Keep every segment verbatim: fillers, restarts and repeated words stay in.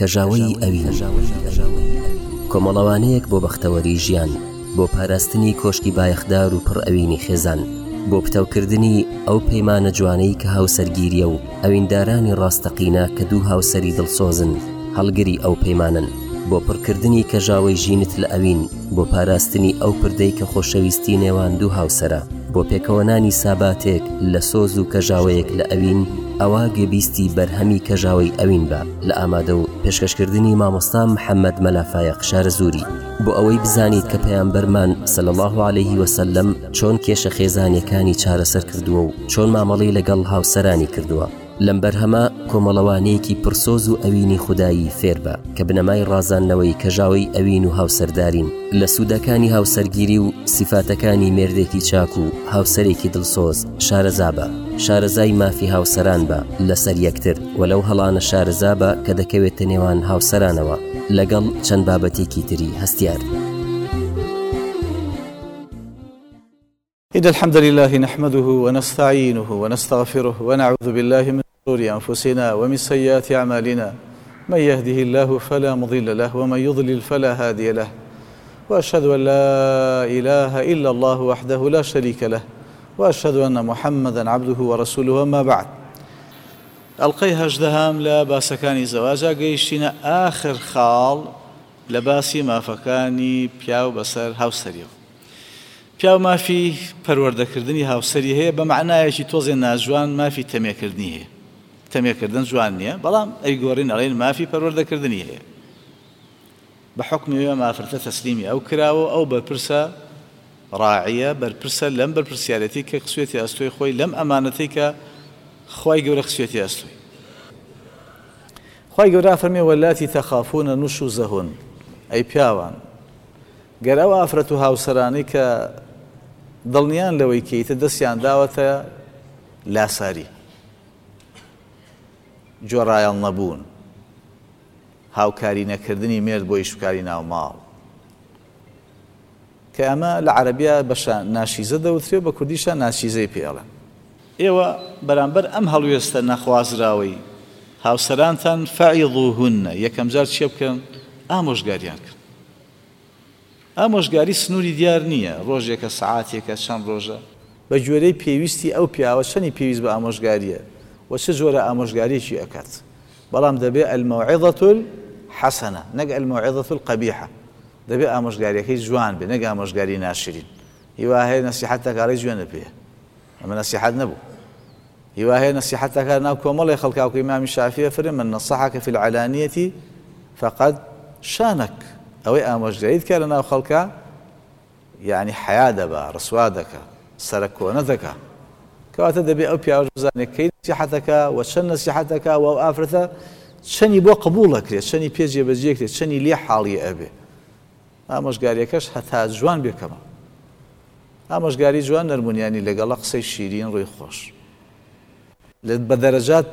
کەژاوەی ئەوین، کۆمەڵەوانەیەک بۆ بەختەوەری ژیان، بۆ پاراستنی کۆشکی بایەخدار و پڕ ئەوینی خێزان، بۆ پتەوکردنی ئەو پەیمانە جوانەی کە هاوسەرگیریە و ئەویندارانی ڕاستەقینە کە دوو هاوسەری دڵسۆزن هەڵگری ئەو پەیمانن، بۆ پڕکردنی کەژاوەی ژینت لە ئەوین، بۆ پاراستنی ئەو پردەی کە خۆشەویستی نێوان دوو هاوسەرە، بۆ پێکەوەنانی ساباتێک لە سۆز و کەژاوەیەک لە ئەوین، ئەوە گوێبیستی بەرهەمی کەژاوەی ئەوین بە لە ئامادە و پێشکەشکردنی مامۆستا محەممەد مەلافایەق شارەزووری، بۆ ئەوەی بزانیت کە پەیامبەرمان صلی الله علیه وسلم چۆن کێشە خێزانیەکانی چارەسەر کردووە و چۆن مامەڵەی لەگەڵ هاوسەرانی کردووە. لەم بەرهەمە کۆمەڵەوانەیەکی پرسۆز و ئەوینی خودایی فێربە کە بنەمای ڕازاندنەوەی کەژاوەی ئەوین و هاوسەردارین، لە سوودەکانی هاوسەرگیری و سیفاتەکانی مێردێکی چاک و هاوسەرێکی دڵسۆز شارەزابە، شارەزای مافی هاوسەران بە لەسەر یەکتر و لەو هەڵانە شارەزابە کە دەکەوێتە نێوان هاوسەرانەوە، لەگەڵ چەند بابەتێکی تری هەستیار. إن الحمد لله نحمده ونستعينه ونستغفره ونعوذ بالله من شرور أنفسنا ومن سيئات أعمالنا، من يهده الله فلا مضل له ومن يضلل فلا هادي له، وأشهد أن لا إله إلا الله وحده لا شريك له، وأشهد أن محمدا عبده ورسوله. وما بعد. ئەڵقەی هەژدەهام لە باسەکانی زەواجا گەیشتینە ئاخر خاڵ لە باسی مافەکانی پیاو بەسەر هاوسەریەوە. پیاو مافی پەروەردەکردنی هاوسەری هەیە، بە معنایەکی تۆزێ ناجوان مافی تەمێکردنی هەیە. تەمێکردن جوان نییە، بەڵام ئەیگۆڕین ئەڵێن مافی پەروەردەکردنی هەیە. بە حوکمی ئەم ئافرەتە تەسلیمی ئەو کراوە، ئەو بەرپرسە ڕاعیە، بەرپرسە لەم بەرپرسیارەتی کە خسوێتی ئەستۆی خۆی، لەم ئەمانەتەی کە خوای گەورە خسوێتی ئەستۆی. خوای گەورە فەرمی واللاتی تەخافون نشوزهن، ئەی پیاوان گەر ئەو ئافرەت و هاوسەرانەی کە دڵنیان لەوەی کەیتە دەستیان داوەتە لاساری، جۆڕایەڵ نەبوون، هاوکاری نەکردنی مێرد بۆ ئیشکاری ناوماڵ، کە ئەمە لە عەرەبیە بەشە ناشیزە دەوترێ، بە کوردیشە ناشیزەی پێڵێن. ئێوە بەرامبەر ئەم هەڵوێستە نەخوازراوەی هاوسەرانتان فەعیضوهن، یەکەم جار چێ بکەن؟ ئامۆژگاریان کرد. ئامۆژگاری سنووری دیار نییە، ڕۆژێکە، سەعاتێکە، چەند ڕۆژە، بە گوێرەی پێویستی ئەو پیاوە چەندی پێویست بە ئامۆژگاریە و چه جۆرە ئامۆژگاریەکی ئەکات. بەڵام دەبێ الموعظة الحەسەنە نەک الموعظة القبیحە، دەبێ ئامۆژگاریەکەی جوان بێ نەک ئامۆژگاری ناشرین. هیوا هەیە نەسیحەتەکارەی جوێنە پێ، ئەمە نەسیحەت نەبوو. هیوا هەیە نەسیحەتەکار ناو کۆمەڵی خەڵکاوکە ئیمامی شافعی فەرمی من نصحك في العلانية فقد شانك، ئەوەی ئامۆژگاریت کە لە ناو خەڵکە یعنی حیا دەبا، ڕسوا دەکا، سەرکۆنە دەکا. کەواتە دەبێ ئەو پیاوەش بزانێت کەی نەسیحەتەکە و چەند نەسیحەتەکە و ئەو ئافرەتە چەنی بۆ قبوڵ ئەکرێت، چەنی پێ جێبەجێ کرێت، چەنی لێ حاڵی ئەبێ. ئامۆژگاریەکەش هەتا جوان بێکەمە. ئامۆژگاری جوان نەرمونیانی لەگەڵە قسەی شیرین ڕووی خۆش، بە دەرەجات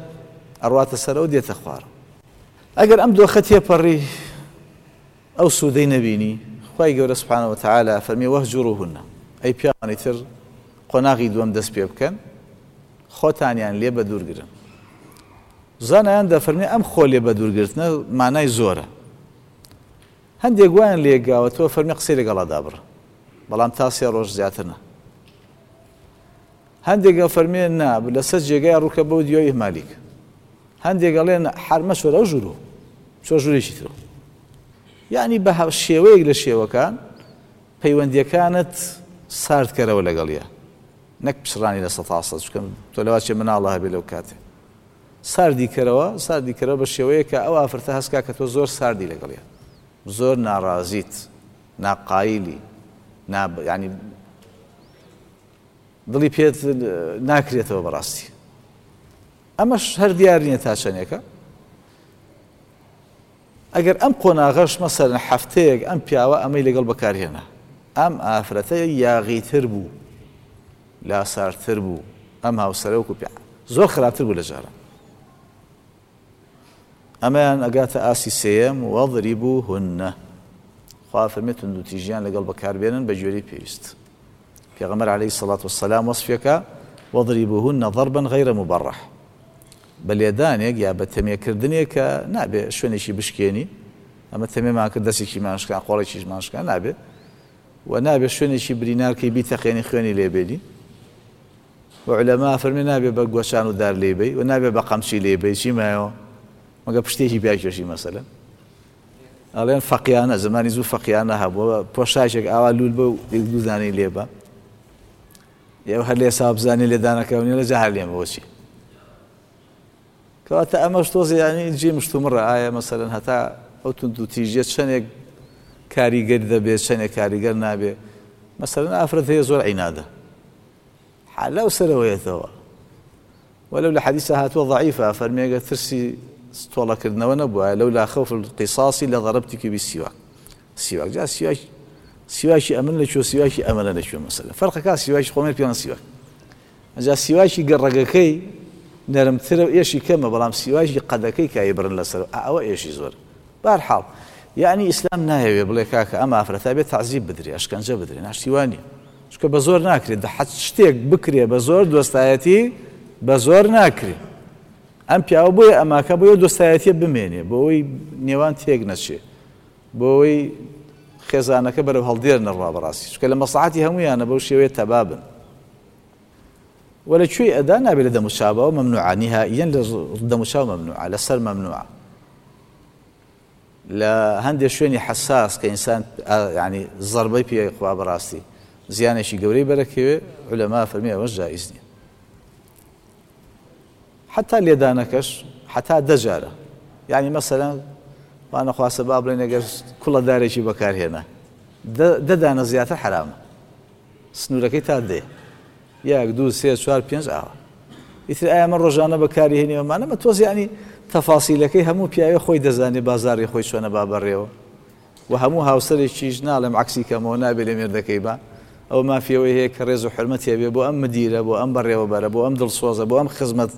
ئەڕواتە سەرەوە دێتە خوارە. ئەگەر ئەم دۆخە تێپەڕی ئەو سوودەی نەبینی، خوای گەورە سبحانه وتعالی فەرمی وەهجوروهن، ئەی پیاوانی تر قۆناغی دووەم دەست پێ بکەن، خۆتانیان لێ بەدوورگرن. زانایان دەفەرمی ئەم خۆ لێ بەدوورگرتنە مانای زۆرە. هەندێک وایان لێگاوەتەوە فەرمی قسەی لەگەڵا دابڕ، بەڵام تا سێ ڕۆژ زیاتر نا. هەندێک فەرمی نا لەسەر جێگای ڕووکە بەو دیۆی ئیهمالیک. هەندێک ئەڵێن حەرمە چۆرە ئەو ژوورۆ، چۆ ژوورێکی ترۆ. یعنی بە شێوەیەک لە شێوەکان پەیوەندیەکانت ساردکەرەوە لەگەڵیە، نەک پچڕانی لە سەتا سەد، چونکە تۆ لەوا چێ مناڵە هەبێ لەو کاتێ. ساردی کەرەوە، ساردی کەرەوە بە شێوەیە کە ئەو ئافرەتە هەستکا کە تۆ زۆر ساردی لەگەڵیە، زۆر ناڕازیت، ناقایلی، نا یعنی دڵی پێت ناکرێتەوە بەڕاستی. ئەمەش هەر دیار نییە تا چەندێکە. ئەگەر ئەم قۆناغەش مەسەلەن هەفتەیەک ئەم پیاوە ئەمەی لەگەڵ بەکارهێنا، ئەم ئافرەتە یاغیتر بوو، لاسارتر بوو، ئەم هاوسەرە وەکو پیا زۆر خراپتر بوو لە جاران. ئەمەیان ئەگاتە ئاسی سێیەم وەضریبوهن، خوا فەرمێ توندوتیژیان لەگەڵ بەکاربێنن بە گوێرەی پێویست. پێغەمبەر عەلەیهی سەڵات وەسەلام وەصفیەکە وەضریبوهن ضربا غەیرە مبەڕەح، بە لێدانێک یا بە تەمێکردنێک کە نابێ شوێنێکی بشکێنی، ئەمە تەمێمان کرد دەستێکی ماشکان قۆڵێکیش ماشکان نابێ، و نابێ شوێنێکی برینارکەی بیتەقێنی خوێنی لێبێنی. و عولەما فەرمی نابێ بە گۆچان و دار لێبەی و نابێ بە قەمچی لێبەی، چی مایەوە مەگە پشتێکی پیاکێشی مەسەلەن. ئەڵێن فەقیانە، زمانی زوو فەقیانە هەبووە، پۆشاکێک ئاوا لوول بە و یەک دوو دانەی لێبە، ئێوە هەر لێ سا بزانێ لێدانەکە و نیە لە جا هەر لێمەوە چی. کەواتە ئەمەش تۆزێ یعنی جێ مشتومڕە، ئایا مەسەلەن هەتا ئەو توندوتیژیە چەندێک کاریگەر دەبێت چەندێک کاریگەر نابێ. مەسەلەن ئافرەت هەیە زۆر عینادە، لەو سەرەوەیەتەوە، ولو لە حەدیثە هاتووە ضعیفە، فەرمێگە ترسی تۆڵەکردنەوە نەبووە، لەولا خوف القصاص لضربتك بالسواك. سواك جا سواك، سواکی ئەمن لەکوێ سواکی ئەمەنە لەکوێ مەسەلەن فەرقەکە سواکی خۆمێ پێیان سواک، جا سواکی گەڕەگەکەی نەرمترە و ئێشی کەمە، بەڵام سواکی قەدەکەی کای بڕن لەسەر ئەوە ئێشی زۆر. بەهەرحاڵ یعنی ئیسلام نایەوێ بڵێ کاکە ئەم ئافرەتە بێ تەعزیب بدرێ، ئەشکەنجە بدرێ، ناشتیوانی، چونکە بە زۆر ناکرێت، حەد شتێک بکرێ بە زۆر دۆستایەتی بە زۆر ناکرێ. ئەم پیاوە بۆیە ئەماکە بۆیە دۆستایەتیە بمێنێ، بۆ ئەوەی نێوان تێک نەچێ، بۆ ئەوەی خێزانەکە بەرەو هەڵدێر نەڕوا بەڕاستی، چونکە لە مەسڵەحەتی هەموویانە بەو شێوەیە تەبابن. وە لە کوێی ئەدا نابێت لە دەموچاوەوە مەمنوعە، نیهائیەن لە دەموچاو مەمنوعە، لەسەر مەمنوعە. لە هەندێک شوێنی حەساس کە ئینسان یعنی زەربەی پێ خوا بەڕاستی زیانێکی گەورەی بەرەکەوێ، عولەما فەرمی ئەوەش جائیز نییە. حتا لێدانەکەش حتا دە جارە، یعنی مەسەلەن وانەخواسە با بڵێن ئەگەر کوڵە دارێکی بەکارهێنا دە دانە زیاتر حرامە، سنوورەکەی تا دێ یەک دوو سێ چوار پێنج ئاوە. ئیتر ئایا من ڕۆژانە بەکاری هێنیوەمانە مە تۆز یعنی تەفاسیلەکەی هەموو پیاوێ خۆی دەزانێ بازاڕی خۆی چۆنە با بەڕێوە، و هەموو هاوسەرێکیش ناڵێم عەکسی کەمەوە نابێ لە مێردەکەی با، ئەو مافیەوەی هەیە کە ڕێز و حرمەت هەبێ بۆ ئەم مدیرە، بۆ ئەم بەڕێوەبەرە، بۆ ئەم دڵسۆزە، بۆ ئەم خزمەت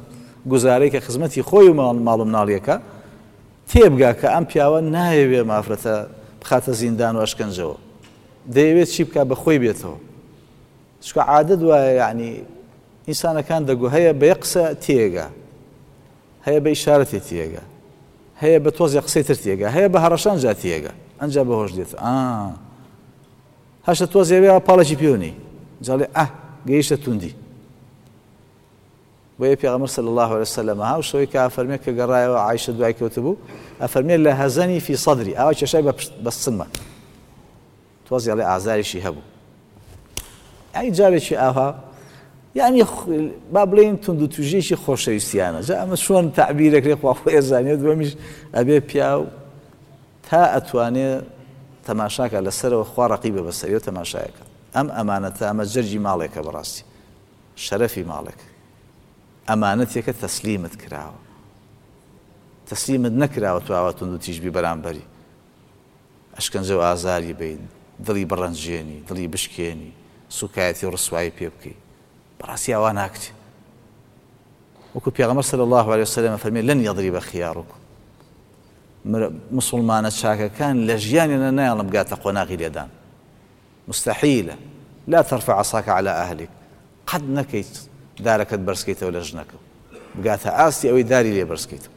گوزارەی کە خزمەتی خۆی و ماڵ و مناڵیەکە، تێبگا کە ئەم پیاوە نایەوێ مافرەتە بخاتە زیندان و ئەشکەنجەوە، دەیەوێت چی بکا بە خۆی بێتەوە. چونکە عادەت وایە یعنی ئینسانەکان دەگو هەیە بە یەک قسە تێگا، هەیە بە ئیشارەتێ تێگا، هەیە بە تۆزێ قسەی تر تێگا، هەیە بە هەڕەشان جا تێگا، ئەنجا بە هۆش دێت. ئا هەشتە تۆزێ وێ پاڵێکی پێونی جاڵێ ئە گەیشتە توندی. بۆیە پێغەمبەر صلی الله علیه وسلم هاو شەوەی کە ئەفەرمێ کە گەڕایەوە عایشە دوای کەوتبوو، ئەفەرمێ لە هەزەنی فی صدری، ئاوا کێشای بە سنمە تۆزێ ئەڵێ ئازاریشی هەبوو. ئەی جارێکی ئاوا یعنی با بڵێین توندوتوژیەکی خۆشەویستیانە. جا ئەمە چۆن تەعبیرەکرێ خوا خۆی ئەزانێت، دووەمیش ئەبێ پیاو تا ئەتوانێ تەماشاکە لەسەرەوە خوا ڕەقیبە بەسەریەوە تەماشایەکە. ئەم ئەمانەتە ئەمە جەرگی ماڵێکە بەڕاستی، شەرەفی ماڵێک، ئەمانەتێکە تەسلیمت کراوە، تەسلیمت نەکراوە تو ئاوا توندوتیژ بی بەرامبەری، ئەشکەنجە و ئازاری بەی، دڵی بڕەنجێنی، دڵی بشکێنی، سوکایەتی و ڕسوایی پێ بکەی، بەڕاستی ئاوا ناکرێ. وەکو پێغەمبەر صلی الله علیه وسلم فەرمی لن یضرب خیارکم، مسلمانە چاکەکان لە ژیانیانە نایەڵم بگاتە قۆناغی لێدان، مستحیلە. لا ترفع عصاك على أهلك، قەت نەکەیت دارەکەت بەرزکەیتەوە لە ژنەکە بگاتە ئاستی ئەوەی داری لێ بەرزکەیتەوە.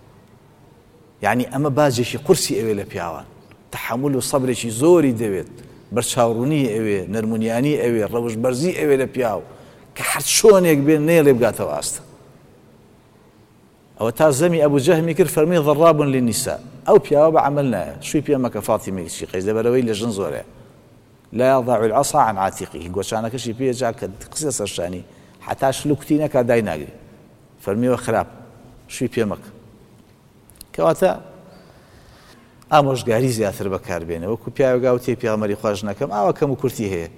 یعنی ئەمە باجێکی قورسی ئەوێ لە پیاوان، تەحەمول و سەبرێکی زۆری دەوێت، بەرچاوڕوونی ئەوێ، نەرمونیانی ئەوێ، ڕەوش بەرزی ئەوێ لە پیاو کە هەر چۆنێک بێ نەیەڵێ بگاتەوە ئاستە. ئەوە تا زەمی ئەبوو جەهمی کرد فەرمی ضراب للنساء، ئەو پیاوە بە عەمەل نایە، شووی پێ مەکە فاتیمەی کچی قەیس، لەبەرەوەی لە ژن زۆرەیە. لا يضع العصا عن عاتقه، گۆچانەکەشی پێ جا کە قسە سەرشانی حتا شلوکتی نەکا دای ناگری، فەرمیوە خراپ شووی پێ مەکە. کەواتە ئامۆژگاری زیاتر بەکاربێنە، وەکو پیاوێک گاوتێ پێغەمبەری خوا ژنەکەم ئاوا کەم و کورتی هەیە،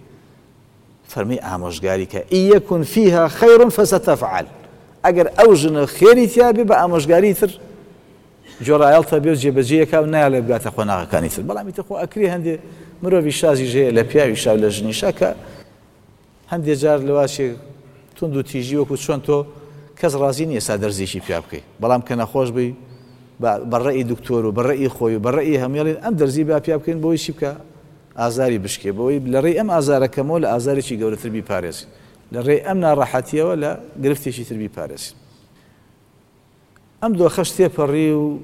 فەرمی ئامۆژگاری کە إن يكن فيها خير فستفعل، ئەگەر ئەو ژنە خێری تیا بێ بە ئامۆژگاری تر جۆرایەڵتە بێ و جێبەجێیەکا و نایەڵێ بگاتە قۆناغەکانی تر. بەڵام ئیتر خۆ ئەکرێ هەندێ مرۆڤی شازیش هەیە لە پیاوی شا و لە ژنی شا کە هەندێ جار لەواشێ توند و تیژی وەکو چۆن تۆ کەس ڕازی نییە سا دەرزێکی پیا بکەی، بەڵام کە نەخۆش بی بە ڕەئی دکتۆر و بە ڕەئی خۆی و بە ڕەئی هەموویڵێن ئەم دەرزی با پیا بکەین بۆی چی بکە ئازاری بشکێ، بۆی لە ڕێی ئەم ئازارەکەمەوە لە ئازارێکی گەورەتر بیپارێزین، لە ڕێی ئەم ناڕەحەتیەوە لە گرفتێکی تر بیپارێزین. ئەم دۆخەش تێپەڕی و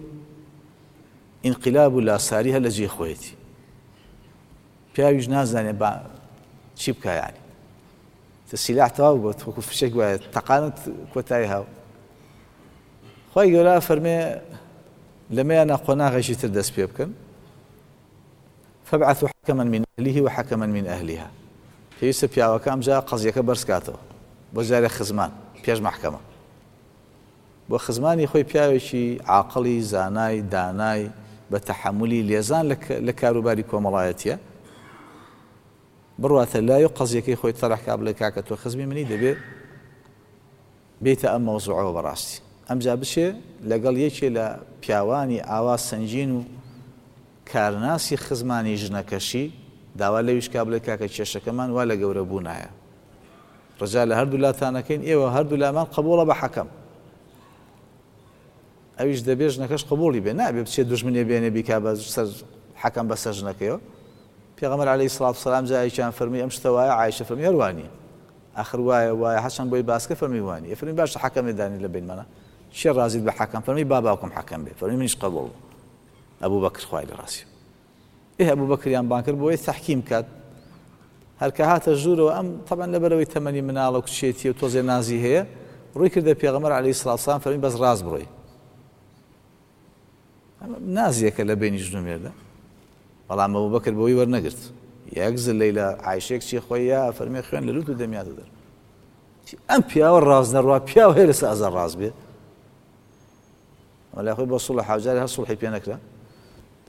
ئینقلاب و لاساری هەر لە جێی خۆیەتی. پیاویش نازانێ با چی بکا، یعنی سیلاح تەواو بوو، وەکو فشێک وایە تەقانت کۆتایی هاو. خوای گەورە فەرمێ لەمەیانە قۆناغێکی تر دەست پێ بکەن. فابعثوا حكما من أهله وحكما من أهلها. پێویستە پیاوەکە ئەمجا قەزیەکە بەرز کاتەوە بۆ جارێ خزمان پێش مەحکەمە. بۆ خزمانی خۆی پیاوێکی عاقڵی زانای دانای بە تەحەمولی لێزان لە کاروباری کۆمەڵایەتیە بڕواتە لای و قەزیەکەی خۆی تەرح کا، بڵێ کاکە تۆ خزمی منی دەبێ بێتە ئەم مەوزوعەوە بەڕاستی. ئەمجا بچێ لەگەڵ یەکێ لە پیاوانی ئاوا سەنگین و کارناسی خزمانی ژنەکەشی داوا لەویش کا، بڵێ کاکە کێشەکەمان وا لە گەورە بوونایە، ڕجا لە هەردوو لاتانەکەین، ئێوە هەردوو لامان قبوڵە بە حەکەم. ئەویش دەبێ ژنەکەش قبوڵی بێ، نابێ بچێ دوژمنێ بێنێ بیکا بە سەر حەکەم بەسەر ژنەکەیەوە. پێغەمبەر عەلەیهی سڵات وسەلام جارێکیان فەرمی ئەم شتە وایە، عایشە فەرمی هەر وانییە، ئاخر وایە وایە، هەرچەند بۆی باسکە فەرمی وانییە. فەرمی باشە حەکەم دانی لە بینمانە، چێ ڕازیت بە حەکەم؟ فەرمی با باوکم حەکەم بێ. فەرمی منیش قبوڵ بوو. ئەبوو بەکر خوای لە ڕاستی. ئێ ئەبوو بەکریان بان کرد بۆیە تەحکیم کات. هەرکە هاتە ژوورەوە ئەم تەبعەن لەبەرەوەی تەمەنی مناڵە و کچێتی و تۆزێ نازی هەیە، ڕووی کردە پێغەمبەر عەلەیهی سڵات وسەلام فەرمی بەس ڕاست بڕۆی. نازیەکە لە بینی ژن و مێردە. بەڵام ئەبوو بەکر بۆی وەرنەگرت. یەک زلەی لە عایشەیەک چی خۆی یا فەرمی خوێن لە لوت و دەمیاتە دەر. ئەم پیاوە ڕاست نەڕوا، پیاو هەیە لەسەر ئازار ڕاست بێ. وەلا خۆی بۆ سوڵح حاوجاری هەر سوڵحی پێ نەکرا.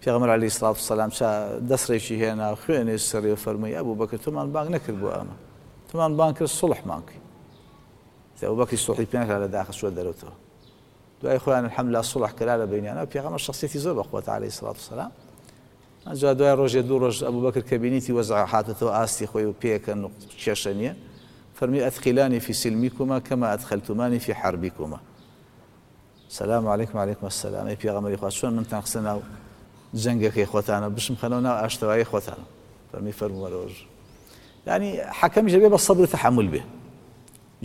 پێغەمبەر عەلەیهی سڵات وسەلام چا دەسڕێکی هێنا خوێنێ سەرێ فەرمووی ئەبوو بەکر تۆمان بانگ نەکرد بۆ ئەمە، تۆمان بانگ کرد سوڵحمان کرد. ئەبوو بەکری سوڵحی پێ نەکرا لە داخە چووە دەرەوتەوە. دوای خۆیان الحەمدلله سوڵح کرا لە بەینیانە. پێغەمبەر شخصیەتی زۆر بەقوەتە عەلەیهی سڵات وسەلام. ئەنجا دوای ڕۆژێ دوو ڕۆژ ئەبوو بەکر کە بینیتی وەزع هاتەتەوە ئاستی خۆی و پێکەن و کێشە نییە، فەرمی ئەدخلانی فی سلمیکما کەما ئەدخلتمانی فی حربیکما. سلام علیکم علیکم السلام. ئەی پێغەمبەری خوا چۆن منتان خستە ناو جەنگەکەی خۆتانە، بشم خەنەوە ناو ئاشتەوایی خۆتانە. فەرمی فەرمووەرەوەژ. یعنی حەکەمیش دەبێ بە سەبر و تەحەمول بێ،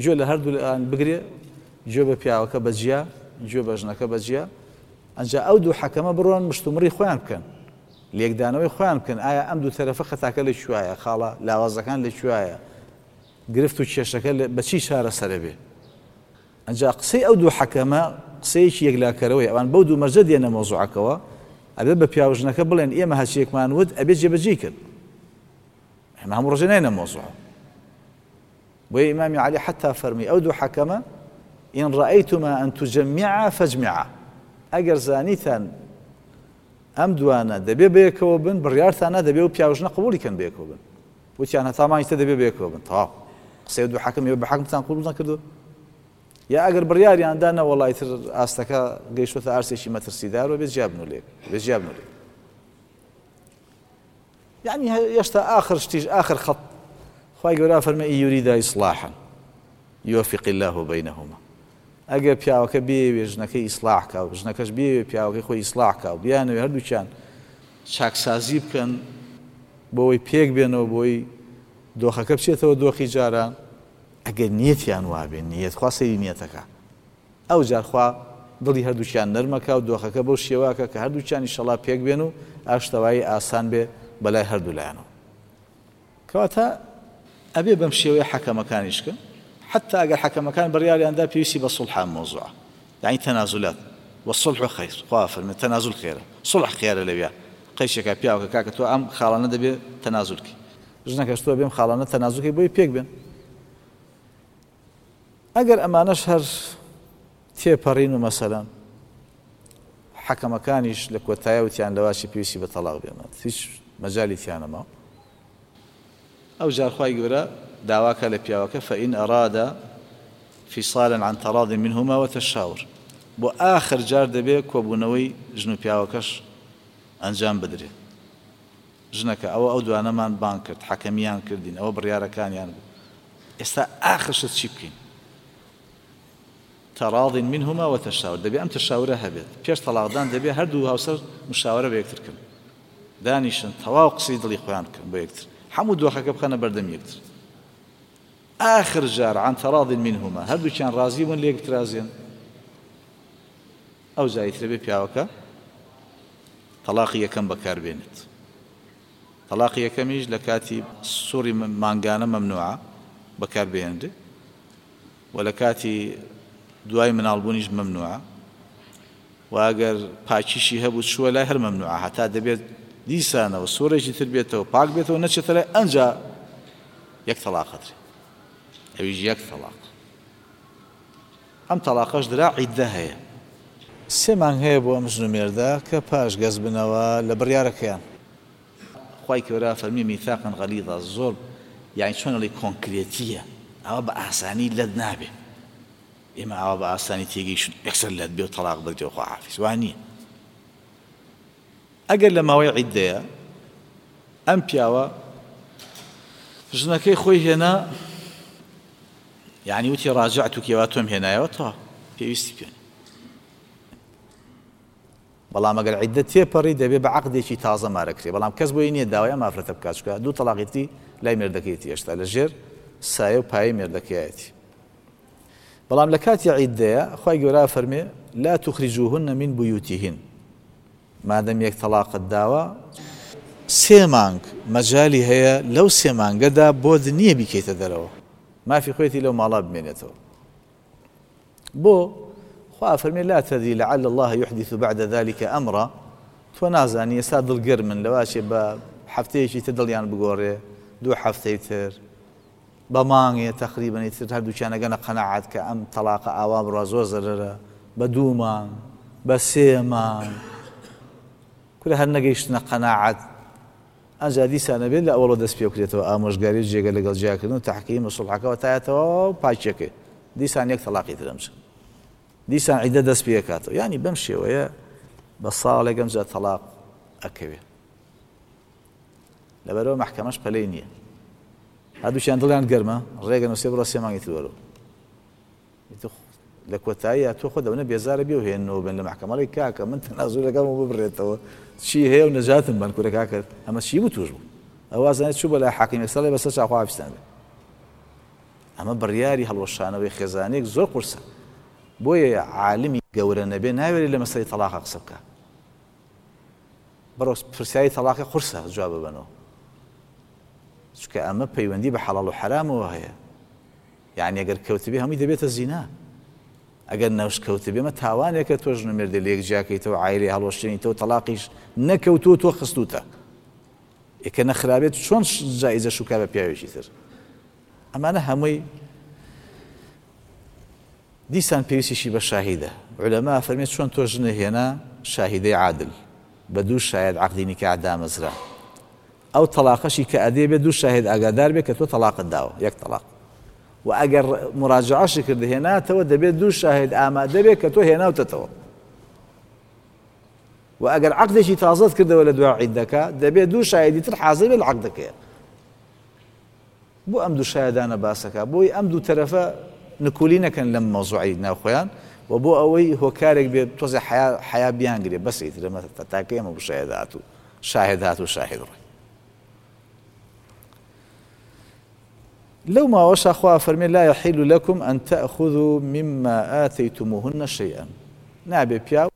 گوێ لە هەردوو لایان بگرێ، گوێ بە پیاوەکە بەجیا، گوێ بە ژنەکە بەجیا. ئەنجا ئەو دوو حەکەمە بڕۆن مشتومڕی خۆیان بکەن، لێکدانەوەی خۆیان بکەن. ئایا ئەم دوو تەرەفە خەتاکە لەکوێیە، خاڵە لاوازەکان لەکوێیە، گرفت و کێشەکە بە چی چارەسەرە بێ. ئەنجا قسەی ئەو دوو حەکەمە قسەیەکی یەکلاکەرەوەی ئەوان بەو دوو مەرجە دێنە مەوزوعەکەوە. ئەبێ بە پیاو ژنەکە بڵێن ئێمە هەرچیەکمان وت ئەبێ جێبەجێی کرد، ئێمە هەموو ڕۆژێ ناینە مەوزوع. بۆیە ئیمامی عەلی حەتا فەرمی ئەو دوو حەکەمە إن رأيتما أن تجمعا فاجمعا، ئەگەر زانیتان ئەم دوانە دەبێ بەیەکەوە بن، بڕیارتانە دەبێ و پیاوژنە قبوڵی کەن بەیەکەوە بن. وتیان هەتا مانگی تر دەبێ بەیەکەوە بن. تەواو قسەی دوو حەکەم ئێوە بە حەکمتان قبوڵ نەکردو. یا ئەگەر بڕیاریان دا نەوەڵای تر ئاستەکە گەیشتۆتە ئاستێکی مەترسیدار و بێ جیابن و لێک، بێ جیابن و لێک. یعنی هێشتا ئاخر شتیش ئاخر خەت خوای گەورە فەرمێ ئین یوریدا ئیسلاحا یوفق الله بینهما. ئەگەر پیاوەکە بێوێ ژنەکەی ئیسلاح کا و ژنەکەش بێوێ پیاوەکەی خۆی ئیسلاح کا و بیانەوێ هەردووکیان چاکسازی بکەن بۆ ئەوەی پێک بێنەوە، بۆی دۆخەکە بچێتەوە دۆخی جاران، ئەگەر نیەتیان وابێ، نیەت خوا سەیری نیەتەکە، ئەو جار خوا دڵی هەردووکیان نەرمەکە و دۆخەکە بەو شێواکە کە هەردووکیان ئینشەڵا پێک بێن و ئاشتەوایی ئاسان بێ بەلای هەردوو لایەنەوە. کەواتە ئەبێ بەم شێوەیە حەکەمەکانیش کە حتى ئەگەر حەکەمەکان بڕیاریان دا پێویستی بە سوڵح مەوزوعە، یعنی تەنازولات والصلح خیر. خوا فەرمێ تەنازول خێرە، سوڵح خێرە لەویا. قەیشێکە پیاوەکە کاکە تۆ ئەم خاڵانە دەبێ تەنازولکەی، ژنەکەش تۆ بێم خاڵانە تەنازولکەی بۆی پێک بێن. ئەگەر ئەمانەش هەر تێپەڕین و مەسەلەن حەکەمەکانیش لە کۆتایە وتیان لەواشی پێویستی بە تەلاق بێنە، هیچ مەجالی تیانەما. ئەو جار خوای گەورە داواکە لە پیاوەکە فإن أراد فصالا عن تراض منهما وتشاور. بۆ ئاخر جار دەبێ کۆبوونەوەی ژن و پیاوەکەش ئەنجام بدرێت. ژنەکە ئەوە ئەو دوانەمان بانگ کرد، حەکەمیان کردین، ئەوە بڕیارەکانیان بوو، ئێستا ئاخرشت چی بکەین؟ تراض منهما وتشاور. دەبێ ئەم تشاورە هەبێت پێش تەلاقدان، دەبێ هەردوو هاوسەر مشاورە بە یەکتر کەن، دانیشن تەواو قسەی دڵی خۆیان بکەن بۆ یەکتر، هەموو دۆخەکە بخەنە بەردەم یەکتر. آخر جار عن تراض منهما هەردووکیان ڕازی بوون لێک بترازێن، ئەو جایترە بێ پیاوەکە تەلاقی یەکەم بەکاربێنێت. تەلاقی یەکەمیش لە کاتی سووری مانگانە مەمنوعە بەکاربهێنرێ و لە کاتی دوای مناڵبوونیش مەمنوعە و ئەگەر پاکیشی هەبوو چووە لای هەر مەمنوعە هەتا دەبێت دیسانەوە سوورێکی تر بێتەوە پاک بێتەوە نەچێتە لای ئەنجا یەک تەلاقەترێ، ئەویش یەک تەلاق. ئەم تەلاقەش درا عیددە هەیە. سێ مانگ هەیە بۆ ئەم ژن و مێردە کە پاش گەز بنەوە لە بڕیارەکەیان. خوای گەورە فەرمی میثاقا غەلیظا، زۆر یعنی چۆن ئەڵێ کۆنکرێتیە، ئەوە بە ئاسانی لەت نابێ. ئێمە ئاوا بە ئاسانی تێگەیشن یەکسەر لەت بێ و تەلاق بدرێ و خواحافیز، وا نییە. ئەگەر لە ماوەی عیددەیە ئەم پیاوە ژنەکەی خۆی هێنا، یعنی وتی ڕاجعتوکی وا تۆم هێنایەوە تا پێویستی پێ. بەڵام ئەگەر عیددە تێپەڕی دەبێ بە عەقدێکی تازە مارەکرێ، بەڵام کەس بۆی نییە داوای ئەم ئافرەتە بکات، چونکە دوو تەلاقی تری لای مێردەکەیەتی هێشتا لەژێر سایە و پایەی مێردەکەیەتی. بەڵام لە کاتی عیددەیە خوای گەورە فەرمێ لا تخرجوهن من بیوتهن، مادەم یەک تەلاقت داوە سێ مانگ مەجالی هەیە لەو سێ مانگەدا بۆت نییە بیکەیتە دەرەوە، مافی خۆیەتی لەو ماڵا بمێنێتەوە. بۆ خوا فەرمێ لا تدري لعل الله يحدث بعد ذلك أمرا، تۆ نازانی ئێستا دڵگەرمن لەواچێ بە هەفتەیەکی تر دڵیان بگۆڕێ، دوو هەفتەی تر بە مانگێ تەقریبەنی تر هەردووکیان ئەگەنە قەناعەت کە ئەم تەلاقە ئاوا بڕوا زۆر زەرەرە، بە دوو مانگ بە سێ مانگ کورە هەر نەگەیشتنە قەناعەت، ئەنجا دیسانە بێت لە ئەوەڵەوە دەست پێ بکرێتەوە ئامۆژگاری و جێگە لەگەڵ جیاکردن و تەحکیم و سوڵحەکەوە تایەتەوە و پاکیەکەی، دیسان یەک تەلاقی تر ئەمچن، دیسان عیدە دەست پێکاتەوە. یعنی بەم شێوەیە بە ساڵێک ئەمجا تەلاق ئەکەوێ. لەبەرەوە مەحکەمەش پەلەی نییە، هەردووکیان دڵیان گەرمە، ڕێگە نووسێ بڕۆ سێ مانگی تر وەرەوە. لە کۆتاییە تۆ خۆ دەونە بێزارە بێ و هێننەوە بن لە مەحکەمەڵی کاکە من تەنازولەکەم و ببڕێتەوە چی هەیە و نەجاتم بن کورە کاکە ئەمە چی بوو تووش بوو، ئەو ئازانێت چوو بەلای حاکم ئێستا بەسەر چاو خواحافیزتان بێ. ئەمە بڕیاری هەڵوەشانەوەی خێزانێک زۆر قورسە، بۆیە عالمی گەورە نەبێ ناوێری لە مەسەلەی تەلاقە قسە بکە. بڕۆ پرسیاری تەلاقی قورسە جواب ببەنەوە، چونکە ئەمە پەیوەندی بە حەڵاڵ و حەرامەوە هەیە. یعنی ئەگەر کەوتبێ هەمووی دەبێتە زینا، ئەگەر نەوش کەوتبێ مە تاوانێکە تۆ ژن و مێردێ لە یەک جیاکەیتەوە عایلەی هەڵوەشێنیتەوە تەلاقیش نەکەوتووە تۆ خستووتە، ئێکە نەخرابێت چۆن جایزە شوکا بە پیاوێکی تر. ئەمانە هەمووی دیسان پێویستیشی بە شاهیدە. عولەما فەرمێت چۆن تۆ ژنە هێنا شاهیدەی عادل بە دوو شاهد عەقدی نیکاح دامەزرا، ئەو تەلاقەشی کە ئەدێ بێ دوو شاهد ئاگادار بێ کە تۆ تەلاقت داوە یەک تەلاق، و ئەگەر مراجعەشی کرد هێناتەوە دەبێت دوو شاهد ئامادە بێ کە تۆ هێناوتەتەوە، و ئەگەر عەقدێکی تازەت کردەوە لە دوای عیدەکە دەبێت دوو شاهدی تر حاضر بێ لە عەقدەکەیە. بۆ ئەم دوو شاهدانە باسەکە بۆی ئەم دوو تەرەفە نکولی نەکەن لەم مەوزوعی ناوخۆیان و بۆ ئەوەی هۆکارێک بێت تۆزێ حەیا بیانگرێ بەس ئیتر ئەمە تاکە ئێمە بۆ شاهد هاتوو شاهد هاتوو شاهد ڕۆی. لەو ماوەشا خوا فەرمێ لا يحل لكم أن تأخذوا مما آتيتموهن شيئا، نابێ پیاو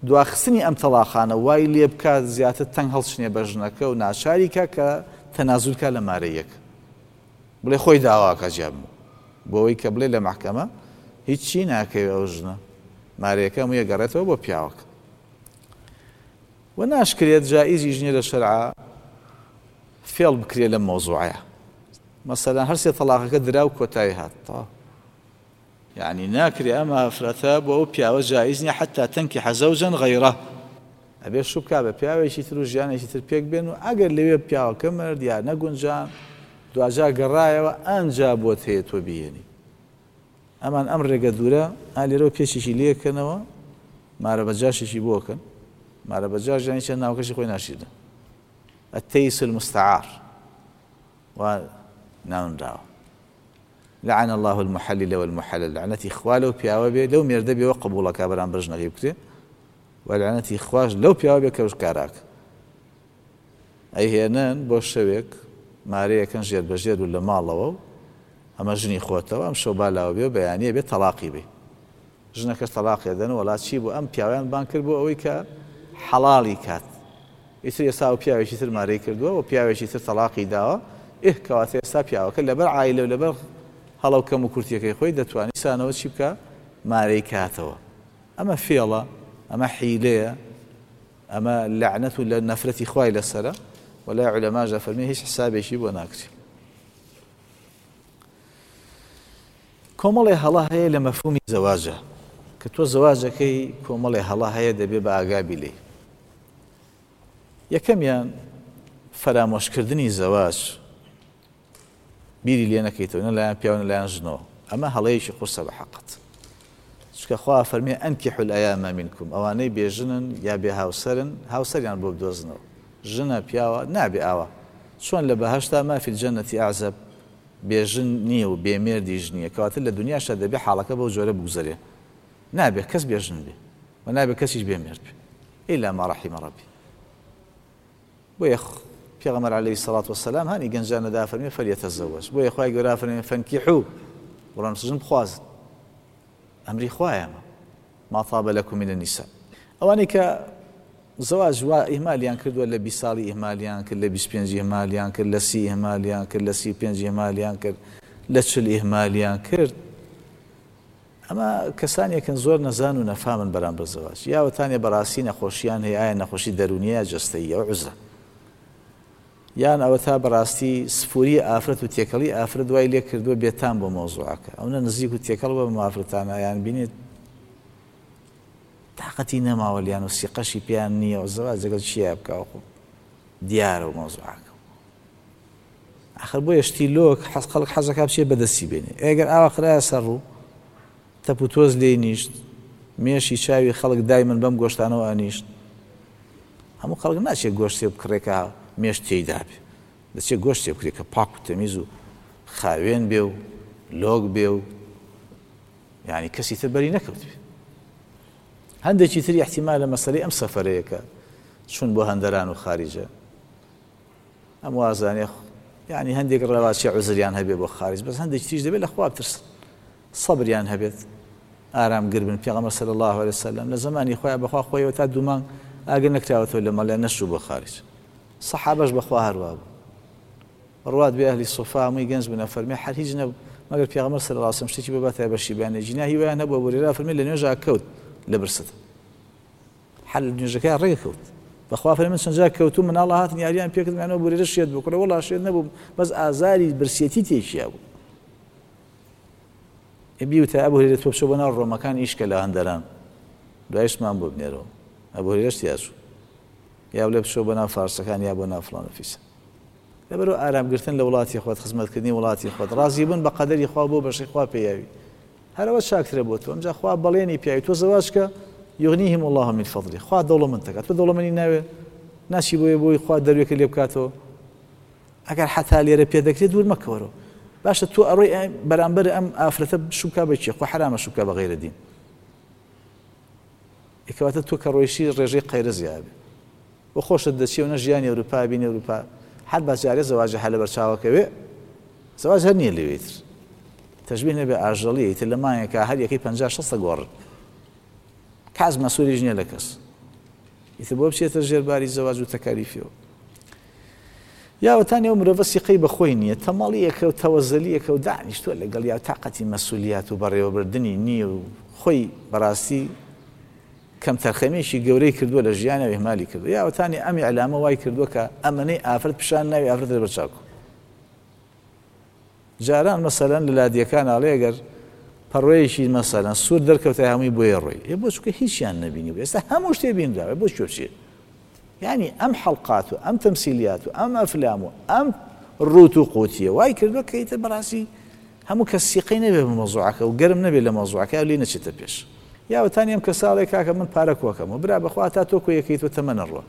دواخستنی ئەم تەلاقانە وای لێ بکات زیاتر تەنگ هەڵچنێ بە ژنەکە و ناچاری کا کە تەنازول کا لە مارەیەک، بڵێ خۆی داواکە جیابم بۆ ئەوەی کە بڵێ لە مەحکەمە هیچی ناکەوێ ئەو ژنە مارەیەکە هەموویە گەڕێتەوە بۆ پیاوەکە. و ناشکرێت جائزیش نییە لە شەرعا فێڵ بکرێ لەم مەوزوعەیە. مەسەلەن هەر سێ تەلاقەکە درا و کۆتایی هات، یعنی ناکرێ ئەم ئافرەتە بۆ ئەو پیاوە جائز نییە حەتا تەنکیحە زەوجەن غەیرە، ئەبێ شوو بکا بە پیاوێکی تر و ژیانێکی تر پێک بێن و ئەگەر لەوێ پیاوەکە مرد یا نەگونجان دواجار گەڕایەوە ئەنجا بۆت هەیە تۆ بیهێنی. ئەمان ئەم ڕێگە دوورە ئا لێرەوە پێشێکی لێکەنەوە مارە بەجاشێکی بۆکەن، مارە بەجاش یانی چەند ناوکەشی خۆی ناشیرن، التيس المستعار و ناونراوە. لعن الله المحلل والمحلل، لعنەتی خوا لەو پیاوە بێ لەو مێردە بێەوە قبوڵەکە بەرامبەر ژنەکەی بکرێ، و لعنەتی خواش لەو پیاوە بێ کە کاراک ئەیهێنن بۆ شەوێک مارەیەکەن ژێر بە ژێر و لە ماڵەوە و ئەمە ژنی خۆتەوە ئەم شەو بالاوە بێ و بەیانیە بێ تەلاقی بێ. ژنەکەش تەلاقی دەن. وەڵا چی بوو؟ ئەم پیاویان بان کرد بۆ ئەوەی کە حەڵاڵی کات. ئیتر ئێستا ئەو پیاوێکی تر مارەی کردووە و پیاوێکی تر تەلاقی داوە. ئێ کەواتە ئێستا پیاوەکە لەبەر عایلە و لەبەر هەڵەو کەم و کورتیەکەی خۆی دەتوانێت سانەوە چی بکە؟ مارەی کاتەوە. ئەمە فێڵە، ئەمە حیلەیە، ئەمە لەعنەت و لە نەفرەتی خوای لەسەرە. وەلا عولەماش دەفەرمێ هیچ حسابێکی بۆ ناکرێ. کۆمەڵێ هەڵە هەیە لە مەفهومی زەواجە کە تۆ زەواجەکەی کۆمەڵێ هەڵە هەیە دەبێ بە ئاگابی لێی. یەکەمیان فەرامۆشکردنی زەواج، بیری لێ نەکەیتەوە نە لایەن پیاو نە لایەن ژنەوە. ئەمە هەڵەیەکی قورسە بە حەقت. چونکە خوا فەرمی ئەنکیحوا الأیام منکم، ئەوانەی بێژنن یا بێ هاوسەرن هاوسەریان بۆ بدۆزنەوە. ژنە پیاوە نابێ ئاوا. چۆن لە بەهەشتا ما فی الجنة ئەعزەب، بێژن نییە و بێمێردیش نییە، کەواتە لە دنیاشدا دەبێ حاڵەکە بەو جۆرە بگوزەرێ. نابێ کەس بێژن بێ و نابێ کەسیش بێمێرد بێ ئیلا ما رحم ربی. بۆیە پێغەمبەر عەلەیهی سەڵات وەسەلام هانی گەنجانە دا فەرمی فەلیەتەزەوەج. بۆیە خوای گەورە فەرمی فەنکیحو، بڕۆن ژن بخوازن. ئەمری خوایە ئەمە. ما طاب لكم من النساء. ئەوانەی کە زەواج وا ئیهمالیان کردووە، لە بیست ساڵی ئیهمالیان کرد، لە بیست پێنج ئیهمالیان کرد، لە سی ئیهمالیان کرد، لە سی پێنج ئیهمالیان کرد، لە چل ئیهمالیان کرد، ئەمە کەسانێکن زۆر نەزان و نەفامن بەرامبەر زەواج. یاوەتانێ بەڕاستی نەخۆشیان هەیە، ئایا نەخۆشی دەروونیە یا جەستەییە و عوزرە، یان ئەوە تا بەڕاستی سفوری ئافرەت و تێکەڵی ئافرەت دوای لێ کردووە بێتام بۆ مەوزوعەکە، ئەوە نزیک و تێکەڵ بە ئافرەتانە یان بینێت تاقەتی نەماوە لیان و سیقەشی پێیان نییە و زەواج لەگەڵ چییە بکاوە، خۆ دیارە و مەوزوعەکە. ئاخر بۆیە شتی لۆک حەز خەڵک حەزەکا بچێ بەدەستی بێنێ. ئەگەر ئاوا خرایە سەر ڕوو تەپ و تۆز لێی نیشت، مێشی چاوی خەڵک دایمن بەم گۆشتانەوە ئەنیشت. هەموو خەڵک ناچێت گۆشتێ بکڕێکە مێش تێیدا بێ، دەچێت گۆشتێ بکرێت کە پاک و تەمیز و خاوێن بێ و لۆک بێ و یعنی کەسی تر بەری نەکەوت بێ. هەندێکی تری احتیمالە مەسەلەی ئەم سەفەرەیەکە چون بۆ هەندەران و خاریجە، ئەم وازانێ یعنی هەندێک ڕەواچی عوزریان هەبێ بۆ خارج، بەس هەندێکی تریش دەبێت لە خوا بترسن، سەبریان هەبێت، ئارامگر بن. پێغەمبەر صلی الله علیه وسلم لە زەمانی خۆیان بەخوا خۆیەوە تا دوو مانگ ئاگر نەکراوەتەوە لە مەڵیان نەشوو بۆ خارج. سەحابەش بەخوا هەروا بوو، ڕوات بێ ئەهلی سوفا هەمووی گەنج بوون، فەرمی هەر هیچ نەبوو مەگەر پێغەمبەر صلی الله علیه وسلم شتێکی بباتە بەشی بەیانێ جینا هیوایان هەبوو. بۆ فەرمی لە نوێژا کەوت لە برسەت، حەل نوێژەکە ڕێگە کەوت. بەخوا فەرمی من چەند جار کەوتوو مناڵە هاتن یاریان پێکردم، بۆ شێت بوو، کوڕە وەڵا شێت نەبوو، بەس ئازاری برسێتی تێکیا بوو. بیوتە ئەبوو هورەیرە تۆ بچۆ بۆ ناو ڕۆمەکان ئیشکە لە هەندەران، دوایشمان بۆ بنێرەوە. ئەبوو هورەیرەش تیاچوو، یا بڵێ بچۆ بۆ ناو فارسەکان یا بۆ ناو فڵان و فیسە. لەبەرەوە ئارامگرتن لە وڵاتی خۆت، خزمەتکردنی وڵاتی خۆت، ڕازیبوون بە قەدەری خوا بۆ بەشی خوا پێیاوی، هەرەوە چاکترە بۆ تۆ. ئەمجا خوا بەڵێنی پیاوی تۆ زەواج کە یغنیهم الله من فضله، خوا دەوڵەمەند دەکات. تۆ دەوڵەمەنی ناوێ ناچی بۆیە بۆی خوا دەروێکە لێ بکاتەوە. ئەگەر حەتا لێرە پێ دەکرێت دوور مەکەوەرەوە. باشە تۆ ئەڕۆی بەرامبەر ئەم ئافرەتە شوکا بە کێ؟ خوا حەرامە شوکا بە غەیرە دین. کەواتە تۆ کە ڕۆیشی ڕێژەی قەیرە زیابێ بۆ خۆشت دەچی و نە ژیانی ئەوروپا بینی ئەوروپا هەر بەجارێ زەواجە هەر لەبەر چاوەکەوێ، زەواج هەر نییە لەوێتر تەشبیه نەبێ ئاژەڵیە ئیتر لە مانگێکا هەر یەکەی پەنجا شەستە گۆڕن، کاس مەسوولیش نییە لە کەس، ئیتر بۆ بچێتە ژێرباری زەواج و تەکالیفیەوە. یاوەتانی ئەو مرۆڤە سیقەی بەخۆی نییە، تەمەڵیەکە و تەوەزەلیەکە و دانیشتووە لەگەڵ یا تاقەتی مەسوولیات و بەڕێوەبردنی نییە و خۆی بەڕاستی کەم تەرخەمێکی گەورەی کردووە لە ژیانەوە ئیهمالی کردووە. یاوەتانی ئەم ئیعلامە وای کردووە کە ئەمەنەی ئافرەت پیشان ناوی ئافرەت لەبەر چاکو. جاران مەسەلەن لە لادیەکان ئاڵێ ئەگەر پەڕۆیەکی مەسەلەن سوور دەرکەوتە هەمووی بۆیە ڕۆی، ئێ بۆ چونکە هیچیان نەبینی بوو، ئێستا هەموو شتێ بینراوە، بۆ کوێ بچێ؟ یعنی ئەم حەڵقات و ئەم تەمسیلیات و ئەم ئەفلام و ئەم ڕووت و قوتیە وای کردووە کە ئیتر بەڕاستی هەموو کەس سیقەی نەبێ بە مەوزوعەکە و گەرم نەبێ لە مەوزوعەکە و لێ نەچێتە پێش. یاوەتانی ئەم کەساڵێ کاکە من پارە کۆکەمەوە، برا بەخوا تا تۆ کۆیەکەیت و تەمەنە ڕوە،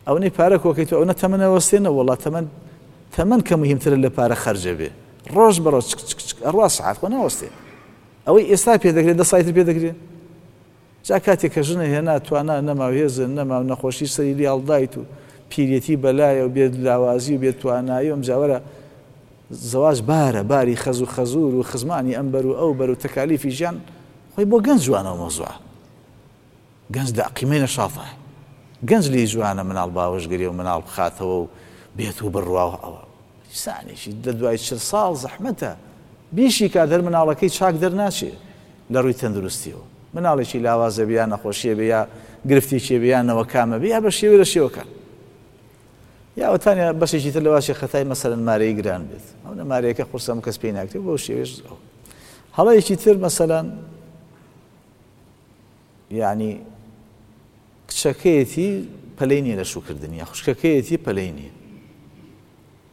ئەوەی پارە کۆکەیت و ئەوە تەمەنەوەستێنە، وەڵا تەمەن تەمەن کە مهمترە لە پارە خەرجە بێ، ڕۆژ بە ڕۆژ چک چک چک ئەڕوا سەعات خۆ ناوەستێ. ئەوەی ئێستا پێ دەکرێت دە ساڵی تر پێ دەکرێت. جا کاتێک کە ژنە هێنا توانا نەما و هێزە نەما و نەخۆشی سەری لێ هەڵدایت و پیرێتی بەلایە و بێ لاوازی و بێ توانایی و ئەمجاوەرە زەواج بارە باری خەز و خەزور و خزمانی ئەم بەر و ئەو بەر و تەکالیفی ژیان خۆی بۆ گەنج جوانە و مەوزوعە، گەنج لە قیمەی نەشاطە، گەنج لێی جوانە مناڵ باوەشگرێ و مناڵ بخاتەوە و بێت و بڕواوە. ئەوە ئینسانێکی لە دوای چل ساڵ زەحمەتە بیشی کات هەر مناڵەکەی چاک دەرناچێ لە ڕووی تەندروستیەوە. مناڵێکی لاوازە بێ یا نەخۆشیە بێ یا گرفتێکی بێ یا نەوەکامە بێ یا بە شێوەی لە شێوەکان. یا وتانیا بەشێکی تر لەواشی خەتای مەسەلەن مارەی گران بێت، ئەو نە مارەیەکە قورسە هەموو کەس پێی ناکرێت بەو شێوەیەش ئەو. هەڵەیەکی تر مەسەلەن یعنی کچەکەیەتی پەلەی نییە لە شووکردنی، یا خوشکەکەیەتی پەلەی نییە.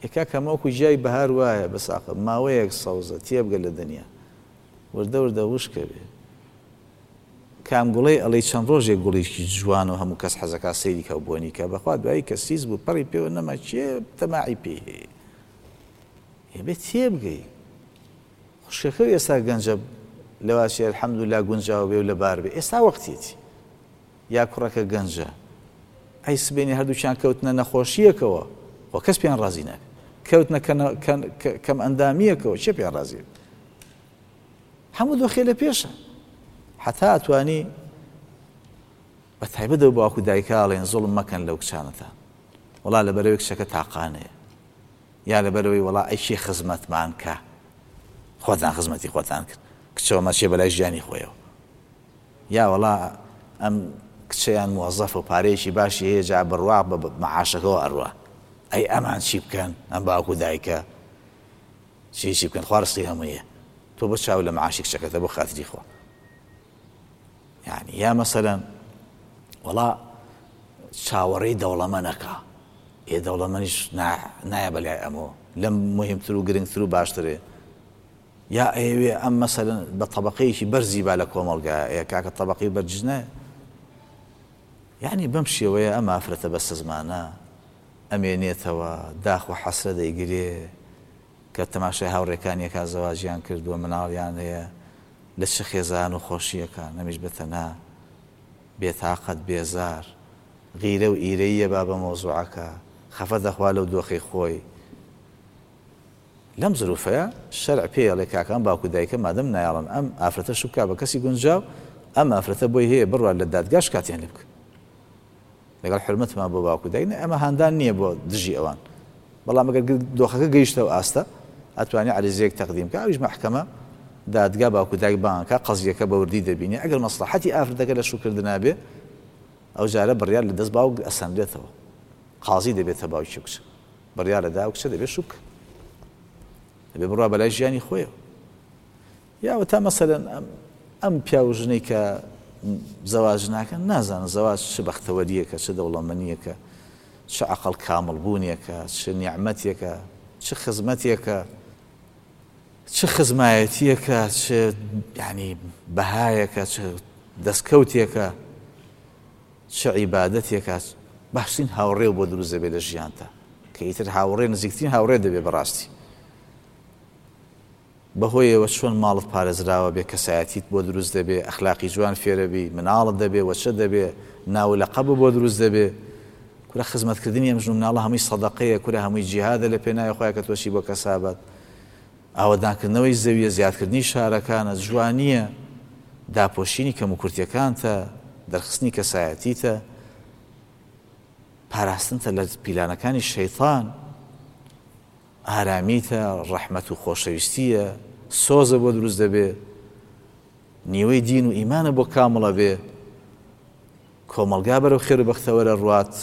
یەکا کەمە وەکو جیای بەهار وایە بەساقە ماوەیەک سەوزە تێبگە لە دنیا وردە وردە وشکە بێ. کام گوڵەی ئەڵێی چەند ڕۆژێک گوڵێکی جوان و هەموو کەس حەزەکا سەیری کە و بۆنی کە، بەخوا دوایی کە سیز بوو پەڕی پێوە نەما کێ تەماعی پێی هەیە؟ ئێ بێ تێبگەی. خوشکەکە ئێستا گەنجە لەواشێ الحەمدللا گونجاوە بێ و لەبار بێ، ئێستا وەختیەتی. یا کوڕەکە گەنجە ئەی سبێنی هەردووکیان کەوتنە نەخۆشیەکەوە خۆ کەس پێیان ڕازی نابێ، کەوتنە کەم ئەندامیەکەوە چێ پێیان ڕازی بێ؟ هەموو دۆخێ لە پێشە. حتا ئەتوانی بە تایبەت ئەو باوک و دایکە ئەڵێن زوڵم مەکەن لەو کچانەتان، وەڵا لەبەرەوەی کچەکە تاقانەیە، یا لەبەرەوەی وەڵا ئەی کێ خزمەتمان کە، خۆتان خزمەتی خۆتان کرد، کچەوە مەچێ بەلای ژیانی خۆیەوە، یا وەڵا ئەم کچەیان موەزەفە و پارەیەکی باشی هەیە جا بڕوا بە معاشەکەوە ئەڕوا، ئەی ئەمان چی بکەن؟ ئەم باوک و دایکە چی چی بکەن؟ خوا ڕزقی هەموویە، تۆ بۆ چاو لە معاشی کچەکەتە بۆ خاتری خوا. يعني یا مەسەلەن وەڵا چاوەڕێی دەوڵەمەنەکە، ئێ دەوڵەمەنیش نایە بەلای ئەمەوە، لەم مهمتر و گرنگتر و باشترێ. یا ئەیەوێ ئەم مەسەلەن بە طەبەقەیەکی بەرزی با لە کۆمەڵگا، ئێ کاکە طەبەقەی بەرزیش نایە. یعنی بەم شێوەیە ئەم ئافرەتە بەسەزمانە ئەمێنێتەوە، داخ و حەسرە دەیگرێ کە تەماشای هاوڕێکانیەکە زەواجیان کردووە، مناڵیان هەیە، لە چ خێزان و خۆشیەکان، ئەمیش بەتەنها بێتاقەت بێزار، غیرە و ئیرەیە با بە مەوزوعەکە، خەفە دەخوا لەو دۆخی خۆی. لەم زروفەیە شەرع پێی ئەڵێ کاکان باوک و دایکە مادەم نایاڵن ئەم ئافرەتە شوو بکا بە کەسی گونجاو، ئەم ئافرەتە بۆی هەیە بڕوات لە دادگاش کاتیان لێ بکە. لەگەڵ حرمەتمان بۆ باوک و دایک، ئەمە هاندان نییە بۆ دژی ئەوان، بەڵام ئەگەر دۆخەکە گەیشتەوە ئاستە ئەتوانێ عەریزەیەک تەقدیم بکە، ئەویش مەحکەمە دادگا باوک و دایک بانکە قەزیەکە بەوردی دەبینێ. ئەگەر مەسڵەحەتی ئافرەتەکە لە شووکردنا بێ ئەو جارە بڕیار لە دەست باوک ئەسەنرێتەوە، قازی دەبێتە باوکی کچ، بڕیار لە دا کچە دەبێت شوو بکە، دەبێ بڕوا بەلای ژیانی خۆیەوە. یا تا مەسەلەن ئەم پیاو ژنەی کە زەواج ناکەن نازانن زەواج چ بەختەوەریەکە، چ دەوڵەمەنیەکە، چ عەقڵ کامڵبوونێکە، چ نیعمەتێکە، چ خزمەتێکە، چ خزمایەتیەکە، چ یعنی بەهایەکە، چ دەستکەوتێکە، چ عیبادەتێکە. باشترین هاوڕێ بۆ دروست دەبێت لە ژیانتا، کە ئیتر هاوڕێ نزیکترین هاوڕێ دەبێت بەڕاستی. بەهۆیەوە چۆن ماڵت پارێزراوە بێ، کەسایەتیت بۆ دروست دەبێ، ئەخلاقی جوان فێرەبی، مناڵت دەبێ، وەچە دەبێ، ناو لەقەب بۆ دروست دەبێ. کورە خزمەتکردنی ئەم ژن و مناڵە هەمووی سەدەقەیە، کورە هەمووی جیهادە لە پێناوی خۆیان کە تۆشی بۆ کەسابەت. ئاوەدانکردنەوەی زەویە، زیادکردنی شارەکانە، جوانییە، داپۆشینی کەموکورتیەکانتە، دەرخستنی کەسایەتیتە، پاراستنتە لە پیلانەکانی شەیطان، ئارامیتە، ڕەحمەت و خۆشەویستیە، سۆزە بۆ دروست دەبێ، نیوەی دین و ئیمانە بۆ کامڵە بێ، کۆمەڵگا بەرەو خێر و بەختەوەرە ڕوات،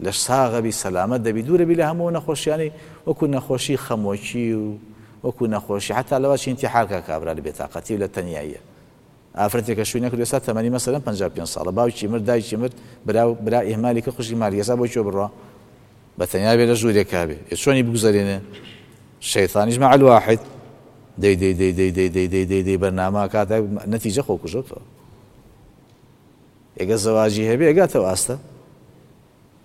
لەش ساغەبی، سەلامەت دەبی، دوورەبی لە هەموو نەخۆشیانی وەکو نەخۆشی خەمۆکی و وەکو نەخۆشی حتا لەوەچی ئینتیحار کا کابرا لە بێتاقەتی و لە تەنیاییە. ئافرەتێکە شووی نەکرد ئێستا تەمەنی مەسەلەن پەنجا و پێنج ساڵە، باوکی مرد، دایکی مرد، برا برا ئیهمالی کرد، خوشکی مالی، ئێستا بۆ کوێ بڕوا؟ بە تەنیا بێ لە ژوورێکا بێ، ئێ چۆنی بگوزەرێنێ؟ شەیطانیش مع الواحد دەی دەی دەی دەی دەی دەی دەی دەی دەی بەرنامە کاتە نەتیجە خۆکوژەوتەوە. ئێگە زەواجی هەبێ ئەگاتەوە ئاستە،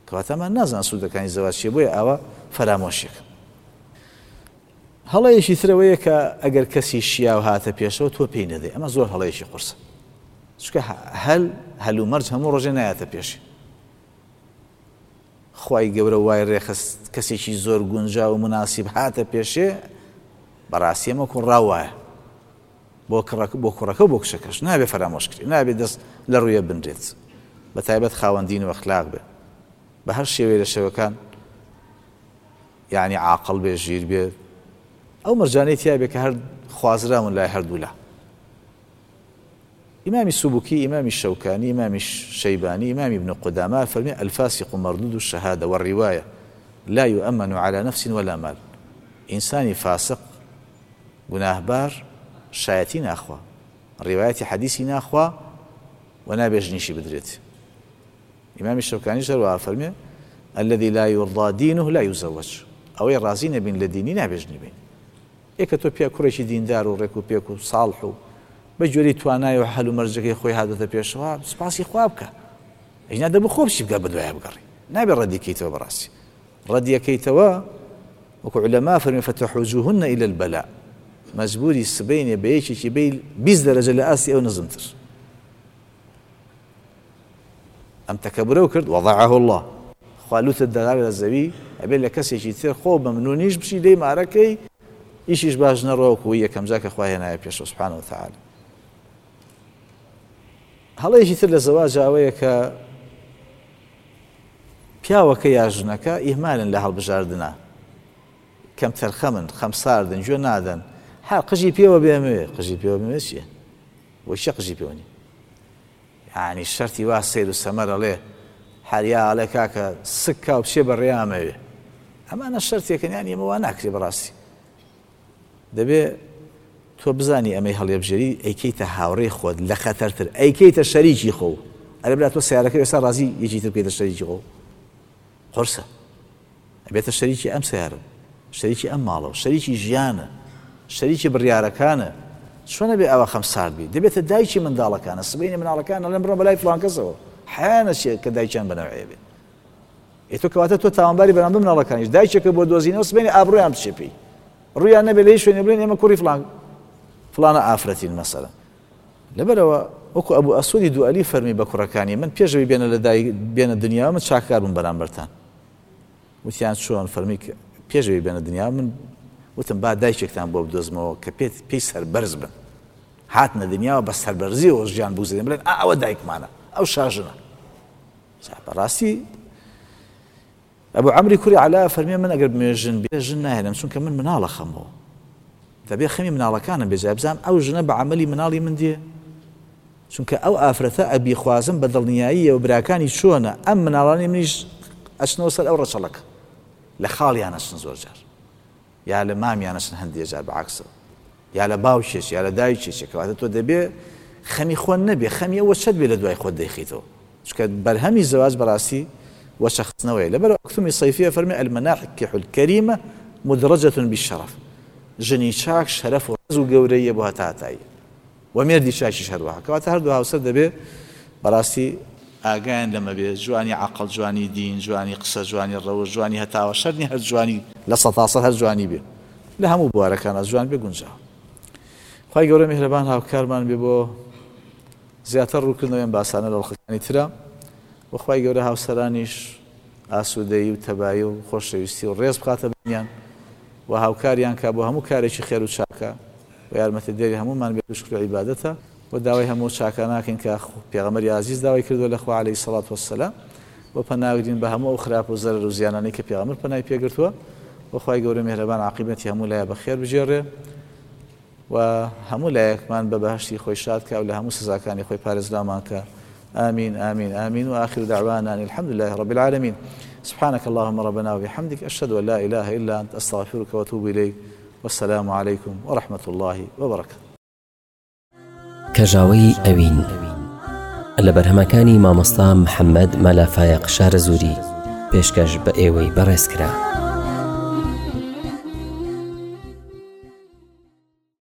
کەواتەمان نازان سوودەکانی زەواج چییە، بۆیە ئاوا فەرامۆشێک. هەڵەیەکی ترەوەیە کە ئەگەر کەسی شیاو هاتە پێشەوە تۆ پێی نەدەی، ئەمە زۆر هەڵەیەکی قورسە، چونکە هەل هەلومەرج هەموو ڕۆژێ نایەتە پێشی. خوای گەورە وای ڕێخست کەسێکی زۆر گونجاو و مناسب هاتە پێشێ، بەڕاستی ئەمە کوڕا وایە. بۆ کوڕەکە و بۆ کچەکەش نابێ فەرامۆش کرێ، نابێ دەست لە ڕوویە بنرێت، بە تایبەت خاوەن دین و ئەخلاق بێ، بە هەر شێوەیە لە شێوەکان یعنی عاقڵ بێ، ژیر بێ، ئەو مەرجانەی تیا بێ کە هەر خوازراون لای هەردوولا. إمام السبكي، إمام الشوكاني، إمام الشيباني، إمام ابن قدامة فرمي الفاسق مردود الشهادة والرواية لا يؤمن على نفس ولا مال. إنسان فاسق گناهبار شایەتی ناخوا، ڕیوایەتی حەدیسی ناخوا و نابێ ژنیشی بدرێت. إمام الشوكاني هەروەها فەرمێ الذي لا يرضى دينه لا يزوج، ئەوەی ڕازی نەبین لە دینی نابێ ژنی بین. ئێکە تۆ پێ کوڕێکی دیندار و ڕێک و پێک و ساڵح و بە گوێرەی توانای و هەل و مەرجەکەی خۆی هاتۆتە پێشەوە سوپاسی خوا بکە، ئەینا دەبوو خۆ بچی بگە بەدوایە بگەڕی، نابێ ڕەدیکەیتەوە. بەڕاستی ڕەدیەکەیتەوە وەکو عولەما فەرمی فتحوجوهن إلى البلاء، مەجبوری سبەینێ بە یەکێکی بێ بیست دەرەجە لە ئاستی ئەو نزمتر. ئەم تەکەبرەو کرد وەضعه الله، خوا لوتت دەدات لە زەوی، ئەبێ لە کەسێکی تر خۆ مەمنونیش بچی لێی مارەکەی ئیشیش باش نەڕۆ وەکوو یەکەم جا کە خوا هێنایە پێشەوە سبحانه وتعالى. هەڵەیەکی تر لە زەواج ئەوەیە کە پیاوەکە یا ژنەکە ئیهمالن لە هەڵبژاردنە، کەمتەرخەمن، خەمساردن، گوێ نادەن، هەر قژی پێوە بێمەوێ. قژی پێوە بێمەوێ چییە؟ بۆ چیە قژی پێوە نییە؟ یعنی شەرتی وا سەیر و سەمەر ئەڵێ هەریا ئەڵێ کاکە سکا و بچێ بە ڕێیامەوێ. ئەمانە شەرتێکن، یعنی ئێمە وا ناکرێ بەڕاستی. دەبێ تۆ بزانی ئەمەی هەڵێبژێری ئەیکەیتە هاوڕێی خۆت لە خەتەرتر، ئەیکەیتە شەریکی خۆ. ئەرێ برا تۆ سیارەکە ئێستا ڕازی یەکی تر بکەیتە شەریکی خۆ، قورسە. ئەبێتە شەریکی ئەم سیارە، شەریکی ئەم ماڵەوە، شەریکی ژیانە، شەریکی بڕیارەکانە. چۆنە بێ ئەوە خەمسارد بی؟ دەبێتە دایکی منداڵەکانە، سبەینێ منداڵەکان ئەڵێن بڕۆن بەلای فڵان کەسەوە، حەیانە چیە کە دایکیان بەنەوعێ بێ. ئێ تۆ کەواتە تۆ تاوانباری بەرامبەر منداڵەکانیش، دایکێکە بۆ دۆزینەوە سبەینێ ئابڕوویان بچێ پێی، ڕوویان نەبێ لە هیچ شوێنێ بڵێن ئێمە کوڕی فڵان فڵانە ئافرەتین مەسەلەن. لەبەرەوە وەکو ئەبوو ئەسوەدی دوئەلی فەرمی بە کوڕەکانی من پێشەوەی بێنە لە دایک بێنە دنیاوە من چاکار بووم بەرامبەرتان. وتیان چۆن؟ فەرمی پێشەوەی بێنە دنیاوە من وتم با دایکێکتان بۆ بدۆزمەوە کە پێی سەربەرز بن، هاتنە دنیاوە بە سەربەرزیەوە ژیان بگوزەرێن، بڵێن ئا ئەوە دایکمانە، ئەو شاژنە. بەڕاستی ئەبوو عەمری کوڕی عەلا فەرمی من ئەگەر بمەوێ ژن بێ ژن ناهێنم، چونکە من مناڵە خەمەوە، دەبێ خەمی مناڵەکانم بێ، جا بزانم ئەو ژنە بە عەمەلی مناڵی من دێ، چونکە ئەو ئافرەتە ئەبی خوازم بە دڵنیاییەوە براکانی چۆنە، ئەم مناڵانی منیش ئەچنەوە سەر ئەو ڕەچەڵەکە، لە خاڵیان ئەچن زۆر جار، یا لە مامیان ئەچن هەندێ جار بەعەکسەوە، یا لە باوکێک یا لە دایکێک. کەواتە تۆ دەبێ خەمی خۆن نەبێ، خەمی ئەوە چەت بێ لە دوای خۆت دەیخیتەوە، چونکە بەرهەمی زەواج بەڕاستی وەچەخستنەوەیە. لەبەر ئەکتومی سەیفیە فەرمی المناكح الكريمة مدرجة بالشرف، ژنی چاک شەرەف و ڕێز و گەورەیە بۆ هەتا هەتایی، و مێردی چاکیش هەروەها. کەواتە هەردوو هاوسەر دەبێ بەڕاستی ئاگایان لەمە بێ، جوانی عەقڵ، جوانی دین، جوانی قسە، جوانی ڕەوش، جوانی هەتاوە، شەرت نییە هەر جوانی لە سەتاسەد هەر جوانی بێ، لە هەموو بوارەکانە جوان بێ گونجاوە. خوای گەورە میهرەبان هاوکارمان بێ بۆ زیاتر ڕووکردنەوەی ئەم باسانە لە ڕەخەکانی ترە، و خوای گەورە هاوسەرانیش ئاسوودەیی و تەبایی و خۆشەویستی و ڕێز بخاتە بینیان و هاوکاریان کا بۆ هەموو کارێکی خێر و چاکە و یارمەتیدەری هەموومان بێت و شکر و عیبادەتە. و داوای هەموو چاکە ناکەین کە پێغەمبەری ئازیز داوای کردووە لە خوا عەلەیهی سەڵات وەسەلام، و پەناگرین بە هەموو ئەو خراپ و زەرەر و زیانانەی کە پێغەمبەر پەنای پێگرتووە. و خوای گەورە میهرەبان عاقبەتی هەموو لایە بەخێر بگێڕێ و هەموو لایەکمان بە بەهەشتی خۆی شاد کا و لە هەموو سزاکانی خۆی پارێزرامان کە. آمين آمين آمين. وآخر دعوانا أن الحمد لله رب العالمين. سبحانك اللهم ربنا وبحمدك، أشهد أن لا إله إلا أنت، أستغفرك وأتوب إليك، والسلام عليكم ورحمة الله وبركاته. کەژاوەی ئەوین لە بەرهەمەکانی مامۆستا محەممەد مەلا فایەق شارەزووری پێشکەش بە ئێوەی بەڕێز کرا.